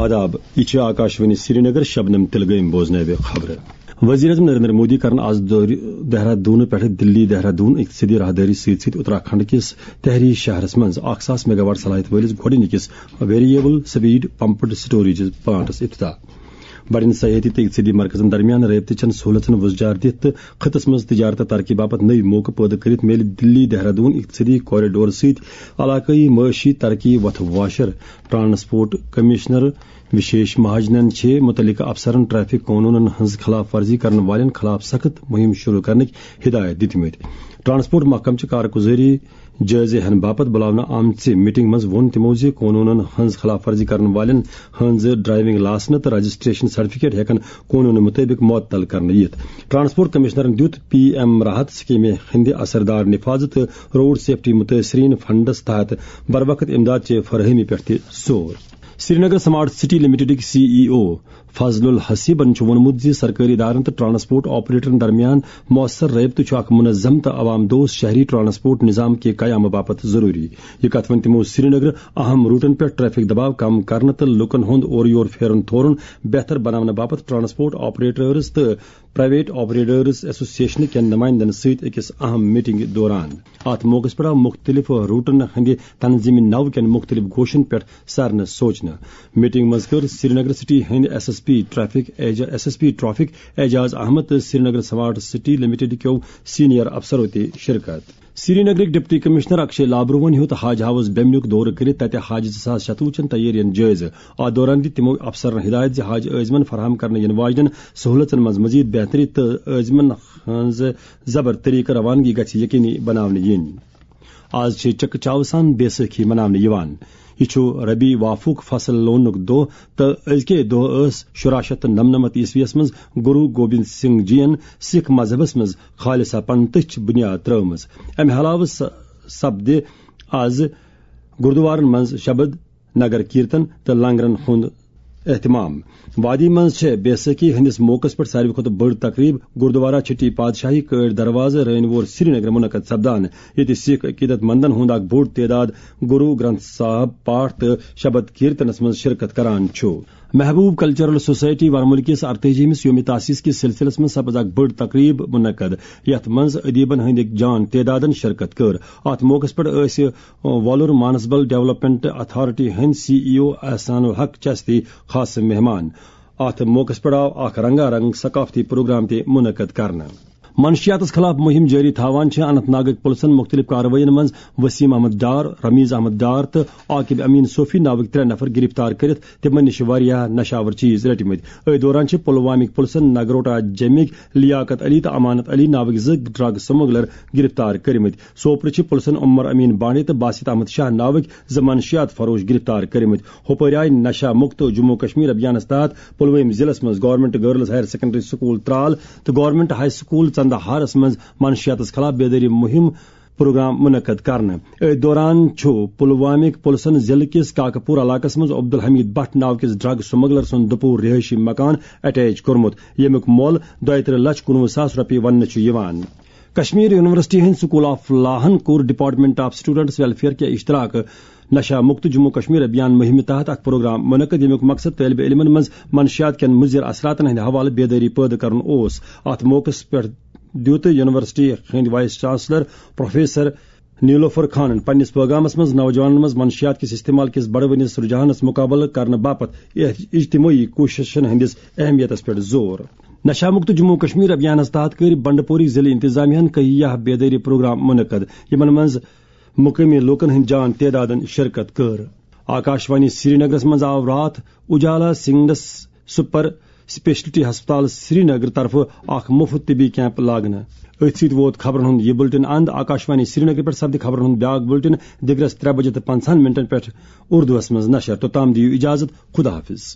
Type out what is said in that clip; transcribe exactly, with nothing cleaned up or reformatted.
آداب، یہ چھِ آکاشوانی سرینگر، شبنم تلگٲمۍ بوزنٲوِ خبرٕ۔ وزیر اعظم نریندر مودی کرن آز دورِ دہرادون پٮ۪ٹھٕ دلی دہرادون اقتصٲدی راہدٲری سۭتۍ سۭتۍ اتراکھنڈ کِس تحری شہرس منٛز اکھ ساس میگا واٹ صلاحیت وٲلِس گۄڈٕنِکِس variable speed pumped storage plants افتتاح۔ بڑٮ۪ن سیاحتی تہٕ اقتصٲدی مرکزن درمیان رٲبطہٕ چٮ۪ن سہولژن وُزجار دِتھ تہٕ خطس منٛز تجارت ترقی باپتھ نٔوۍ موقعہٕ پٲدٕ کٔرِتھ میلہِ دلی دہرادون اقتصٲدی کوریڈور سۭتۍ علاقٲیی معاشی ترقی وتھ واشر۔ ٹرانسپورٹ کمشنر وشیش مہاجنن چھِ متعلقہٕ افسرن ٹریفک قونوٗنن ہٕنٛز خلاف ورزی کرن والٮ۪ن خلاف سخت مُہِم شروع کرنٕکۍ ہدایت دِتمٕتۍ۔ ٹرانسپورٹ محکمہٕ چہِ کارگُزٲری جٲیزٕ ہن باپتھ بُلاونہٕ آمژِ میٹنگ منٛز ووٚن تِمو زِ قونوٗنن ہٕنٛز خلاف ورزی کرن والٮ۪ن ہٕنٛز ڈرائیونگ لائسنس تہٕ رجسٹریشن سرٹیفکیٹ ہٮ۪کن قونوٗنہٕ مُطٲبِق معطل کرنہٕ یِتھ۔ ٹرانسپورٹ کمشنرن دیُت پی ایم راحت سکیمہِ ہٕنٛدِ اثردار نفاذ تہٕ روڈ سیفٹی متٲثریٖن فنڈس تحت بروقت امداد چہِ فراہمی پٮ۪ٹھ تہِ زور۔ سرینگر سمارٹ سٹی لمیٹڈٕکۍ سی ای او فضل الحسیبن چھُ ووٚنمُت زِ سرکٲری ادارن تہٕ ٹرانسپورٹ آپریٹرن درمیان مؤثر رٲبطہٕ چھُ اکھ منظم تہٕ عوام دوست شہری ٹرانسپورٹ نظام کہِ قیامہٕ باپتھ ضروٗری۔ یہِ کتھ ووٚن تِمو سرینگرٕ اہم روٹن پٮ۪ٹھ ٹریفک دباو کم کرنہٕ تہٕ لوٗکن ہُنٛد اورٕ یور پھیرُن تھورُن بہتر بناونہٕ باپتھ ٹرانسپورٹ آپریٹرز تہٕ پرائیویٹ آپریٹرز ایسوسیشن کٮ۪ن نمائندن سۭتۍ أکِس اہم میٹنگ دوران۔ اتھ موقعس پٮ۪ٹھ آو مُختٔلِف روٹن ہٕنٛدِ تنظیٖمی نو کٮ۪ن مُختٔلِف گوشن پٮ۪ٹھ سرنہٕ سوچنہٕ۔ میٹنگ منٛز کٔر سرینگر سٹی ہٕنٛدۍ ایس ایس پی ٹریفک ایجا-، S S P traffic Ejaz Ahmad تہٕ سرینگر سمارٹ سٹی لمیٹڈ کیو سینئر افسرو تہِ شرکت۔ سرینگرٕکۍ ڈپٹی کمشنر اکشے لابروہن ہیوٚت حاج ہاؤس بیمنیُک دورٕ کٔرِتھ تتہِ حاج زٕ ساس شتوُہ چٮ۪ن تیٲرین جٲیزٕ۔ اتھ دوران دِتۍ تِمو افسرن ہدایت زِ حاج عٲزمن فراہم کرنہٕ یِنہٕ واجنٮ۪ن سہولژن منٛز مزید بہتری تہٕ عٲزمن ہٕنٛز زبر طریقہٕ روانگی گژھِ یقینی بناونہٕ یِنۍ۔ آز چھِ چکہٕ چاوٕ سان بیسٲکھی مناونہٕ یِوان۔ یہِ چھُ ربیع وافُک فصل لوننُک دۄہ تہٕ أزکے دۄہ ٲس شُراہ شیٚتھ تہٕ نَمنَمَتھ عیسویَس منٛز گُرو گوبند سنگھ جی ین سکھ مذہبس منٛز خالصہ پنتٕچ بنیاد ترٲومٕژ۔ امہِ علاوٕ س-، سپدِ آز گُردوارن منٛز شبد، نگر کیرتن تہٕ لنگرن ہُنٛد اہتمام۔ وادی منٛز چھےٚ بیسٲکھی ہٕنٛدِس موقعس پٮ۪ٹھ ساروی کھۄتہٕ بٔڑ تقریب گردوارہ چھٹی پادشاہی کٲڑۍ دروازٕ رٲنۍ وور سرینگر منعقد سپدان، ییٚتہِ سکھ عقیدت مندن ہُنٛد اکھ بوٚڑ تعداد گرو گرنتھ صاحب پاٹھ تہٕ شبد کیرتنس منٛز شرکت کران چھُ۔ محبوب کلچرل سوسائٹی ورمُل کِس ارتٲجی ہمِس یوم تاسیس کِس سلسلس منٛز سپز اکھ بٔڑ تقریب منعقد، یتھ منٛز ادیبن ہٕنٛدۍ جان تعدادن شرکت کٔر۔ اتھ موقعس پٮ۪ٹھ ٲسۍ وۄلُر مانسبل ڈیولپمنٹ اتھارٹی ہٕنٛدۍ سی ای او احسان الحق چشتی خاص مہمان۔ اتھ موقعس پٮ۪ٹھ آو اکھ رنگا رنگ ثقافتی پروگرام تہِ منعقد کرنہٕ۔ منشیاتس خلاف مہم جٲری تھاوان چھِ اننت ناگٕکۍ پُلسن مُختٔلِف کاروٲیین منٛز وسیم احمد ڈار، رمیز احمد ڈار تہٕ عاقب امین صوفی ناوٕکۍ ترٛےٚ نفر گرفتار کٔرِتھ تِمن نِش واریاہ نشاور چیز رٔٹمٕتۍ۔ أتھۍ دوران چھِ پلوامٕکۍ پُلسن نگروٹا جیمٕکۍ لیاقت علی تہٕ امانت علی ناوٕکۍ زٕ ڈرگ سمگلر گرفتار کٔرمٕتۍ۔ سوپرٕ چھِ پُلسن عمر امین بانڈے تہٕ باسط احمد شاہ ناوٕکۍ زٕ منشیات فروش گرفتار کٔرمٕتۍ۔ ہُپٲرۍ آیہِ نشہ مُکت جموں کشمیر ابھیانس تحت پلوٲمۍ ضلعس منٛز government girls higher secondary school Tral تہٕ گورنمنٹ ہائی سکول ژندہارس منٛز منشیاتس خلاف بیدٲری مہم پروگرام منعقد کرنہٕ۔ أتھۍ دوران چھُ پلوامٕکۍ پُلسن ضلعہٕ کِس کاکہٕ پوٗر علاقس منٛز عبدالحمید بٹ ناو کِس ڈرگ سمگلر سُنٛد دُپوٗر رہٲیشی مکان اٹیچ کوٚرمُت، ییٚمیُک مۄل دۄیہِ ترٕہ لچھ کُنوُہ ساس رۄپیہِ وننہٕ چھُ یِوان۔ کشمیر یونیورسٹی ہٕنٛدۍ سکول آف لاہن کوٚر ڈپارٹمنٹ آف سٹوڈنٹس ویلفیئر کہِ اشتراکہٕ نشہ مکت جموں کشمیر ابھیان مہمہِ تحت اکھ پروگرام منعقد، ییٚمیُک مقصد طٲلبہِ علمن منٛز منشیات کٮ۪ن مضر اثراتن ہٕنٛدِ حوالہٕ بیدٲری پٲدٕ کرُن اوس۔ اتھ موقعس پٮ۪ٹھ دیُت یونیورسٹی ہٕنٛدۍ وائس چانسلر پروفیسر نیلوفر خانن پننِس پیغامس منٛز نوجوانن منٛز منشیات کِس استعمال کِس بڑوٕنِس رجحانس مقابلہٕ کرنہٕ باپتھ اجتماعی کوٗششن ہٕنٛدِس اہمیتس پٮ۪ٹھ زور۔ نشہ مکت جموں کشمیر ابھیانس تحت کٔرۍ بنڈپوری ضلعہٕ انتظامیہ ہن کہیہ بیدٲری پروگرام منعقد، یِمن منٛز مقٲمی لوٗکن ہٕنٛدۍ جان تعدادن شرکت کٔر۔ آکاشوانی سرینگرس منٛز آو راتھ اجالا سنگنس سپر اسپیشلٹی ہسپتال سرینگر طرفہٕ اکھ مُفت طبی کیمپ لاگنہٕ۔ أتھۍ سۭتۍ ووت خبرن ہُنٛد یہِ بلٹن اند۔ آکاشوانی سرینگر پٮ۪ٹھ سپدِ خبرن ہُنٛد بیاکھ بلٹن دِگرس ترٛےٚ بجے تہٕ پنٛژاہن منٹن پٮ۪ٹھ اردوس منٛز نشر۔ توٚتام دِیِو اجازت، خدا حافظ۔